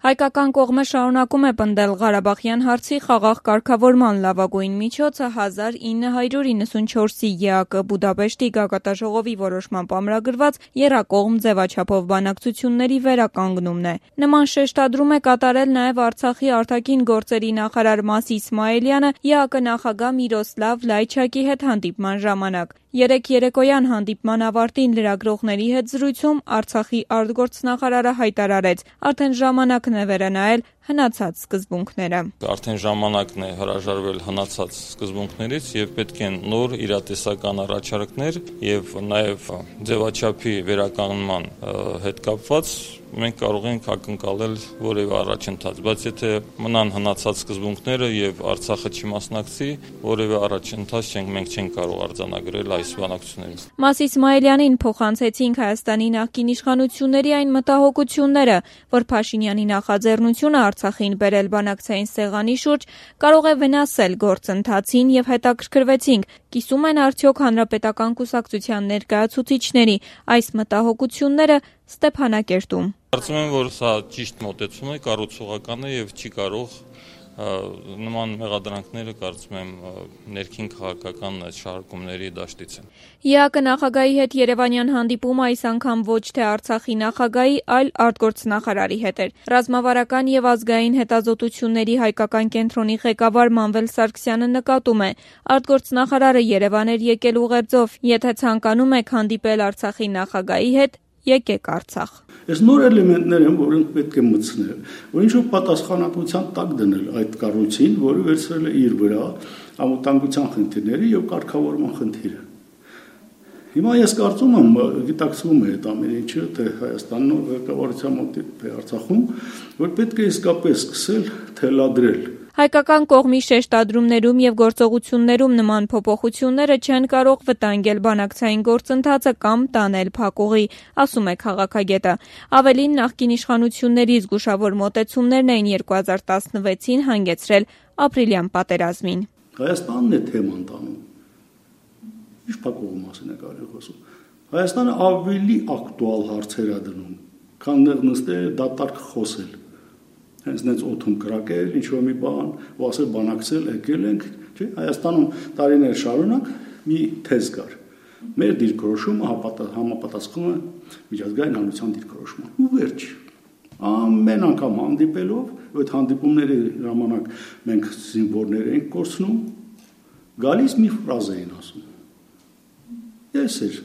Հայկական կողմը շարունակում է պնդել Ղարաբաղյան հարցի խաղաղ կարգավորման լավագույն միջոցը 1994-ի ԵԱԿ Բուդապեշտի գագաթնաժողովի որոշմամբ ամրագրված եռակողմ ձևաչափով բանակցությունների վերականգնումն է։ Նման շեշտադրում է կատարել նաև Արցախի արտաքին գործերի նախարար Մաս Իսմայելյանը ԵԱԿ նախագահ Միրոսլավ Լայչակի հետ հանդիպման ժամանակ։ Երեկ երեկոյան հանդիպման ավարտին լրագրողների հետ զրույցում Արցախի արտգործնախարարը հայտարարեց, արդեն ժամանակն է վերանայել հնացած սկզբունքները։ Արդեն ժամանակն է հրաժարվել հնացած սկզբունքներից եւ պետք են նոր իրատեսական առաջարկներ եւ նաեւ ձևաչափի վերականգնման հետ կապված մենք կարող ենք ակնկալել որևէ առաջընթաց, բայց եթե մնան հնացած սկզբունքները եւ Արցախը չմասնակցի, որևէ առաջընթաց մենք չենք կարող արձանագրել այս բանակցություններից։ Մաս Իսմայելյանին փոխանցեցինք Հայաստանի նախկին իշխանությունների այն մտահոգությունները, որ Փաշինյանի նախաձեռնությունը Արցախին բերել բանակցային սեղանի շուրջ կարող է վնասել գործընթացին եւ հետաքրքրվեցինք, կիսում են արդյոք հանրապետական կուսակցության ներկայացուցիչների այս մտահոգությունները Ստեփանակերտում։ Կարծում եմ, որ սա ճիշտ մոտեցում է, կառուցողական է եւ չի կարող նման մեղադրանքները կարծում եմ ներքին քաղաքական շարժումների դաշտից են։ ԵԱԿ նախագահի հետ Երևանյան հանդիպումը այս անգամ ոչ թե Արցախի նախագահի, այլ արտգործնախարարի հետ էր։ Ռազմավարական եւ ազգային հետազոտությունների հայկական կենտրոնի ղեկավար Մանվել Սարգսյանը նկատում է, արտգործնախարարը Երևան էր եկել ուղերձով, եթե ցանկանում եք հանդիպել Արցախի նախագահի հետ, եկեք Արցախ։ Այս նոր էլեմենտներ են, որոնք պետք է մտցնել, որ ինչ-որ պատասխանատվության տակ դնել այդ կառույցին, որը վերցրել է իր վրա անվտանգության խնդիրները եւ կարգավորման խնդիրը։ Հիմա ես կարծում եմ, գիտակցվում է այդ ամեն ինչը, թե Հայաստանն ղեկավարության մոտ է Արցախում, որ պետք է իսկապես սկսել թելադրել։ Հայկական կողմի շեշտադրումներում եւ գործողություններում նման փոփոխությունները չեն կարող վտանգել բանակցային գործընթացը կամ տանել փակուղի, ասում է քաղաքագետը։ Ավելին, նախկին իշխանությունների զգուշավոր մոտեցումներն էին 2016-ին հանգեցրել ապրիլյան պատերազմին։ Հայաստանն է թեման տանում։ Ինչ փակուղու մասին է կարելի խոսում։ Հայաստանը ավելի ակտուալ հարցեր է դնում, քան նստել դատարկ խոսել։ Հենց նենց օթում կրակել, ինչ-որ մի բան, ու ասել բանակցել, եկել ենք, չէ՞, Հայաստանում տարիներ շարունակ մի թեզ կար։ Մեր դիրքորոշումը համապատասխանում է միջազգային հանրության դիրքորոշման։ Ու վերջ։ Ամեն անգամ հանդիպելով, այդ հանդիպումների ժամանակ մենք զինվորներ ենք կորցնում, գալիս մի ֆրազ էին ասում։ Ես էր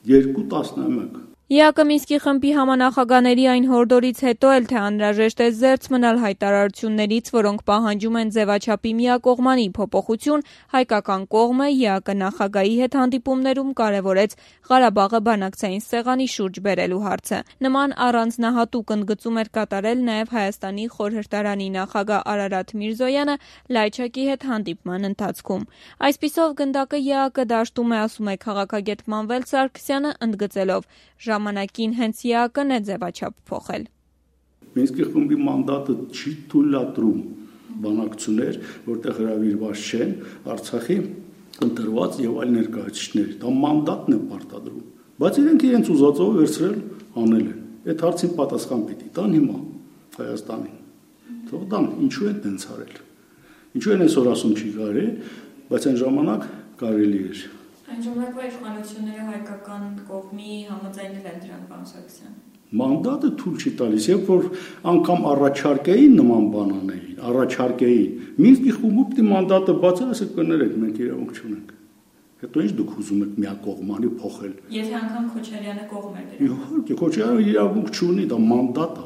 2-11 ԵԱԿ Մինսկի խմբի համանախագահների այն հորդորից հետո էլ թե անհրաժեշտ է զերծ մնալ հայտարարություններից, որոնք պահանջում են ձևաչափի միակողմանի փոփոխություն, հայկական կողմը ԵԱԿ նախագահի հետ հանդիպումներում կարևորեց Ղարաբաղը բանակցային սեղանի շուրջ բերելու հարցը։ Նման առանձնահատուկ ընդգծում էր կատարել նաև Հայաստանի խորհրդարանի նախագահ Արարատ Միրզոյանը Լայչակի հետ հանդիպման ընթացքում։ Այսպիսով գնդակը ԵԱԿ դաշտում է, ասում է քաղաքագետ Մանվել Սարգսյանը, ընդգծելով ժամանակին հենց ԵԱԿ-ն է ձևաչափ փոխել։ Մինսկի խմբի մանդատը չի թույլատրում բանակցություններ, որտեղ հրավիրված չեն Արցախի ընտրված եւ այլ ներկայացուցիչներ։ Դա մանդատն է պարտադրում։ Բայց իրենք ուզածով վերցրել անել են։ Այդ հարցին պատասխան պիտի տան հիմա Հայաստանին։ Թող տան, ինչու են տենց արել։ Ինչու են այսօր ասում չի կարելի, բայց այն ժամանակ կարելի էր։ Այն ժամանակվա իշխանությունները հայկական կողմի համաձայնել են դրան, պարոն Սարգսյան։ Մանդատը թույլ չի տալիս, երբ որ անգամ առաջարկեին նման բան անեին, առաջարկեին։ Մինսկի խումբը պիտի մանդատը բացել, ասեք կներեք, մենք իրավունք չունենք։ Հետո ինչ դուք ուզում եք միակողմանի փոխել։ Եթե անգամ Քոչարյանը կողմ էր դրան։ Իհարկե, Քոչարյանը իրավունք չունի, դա մանդատ է։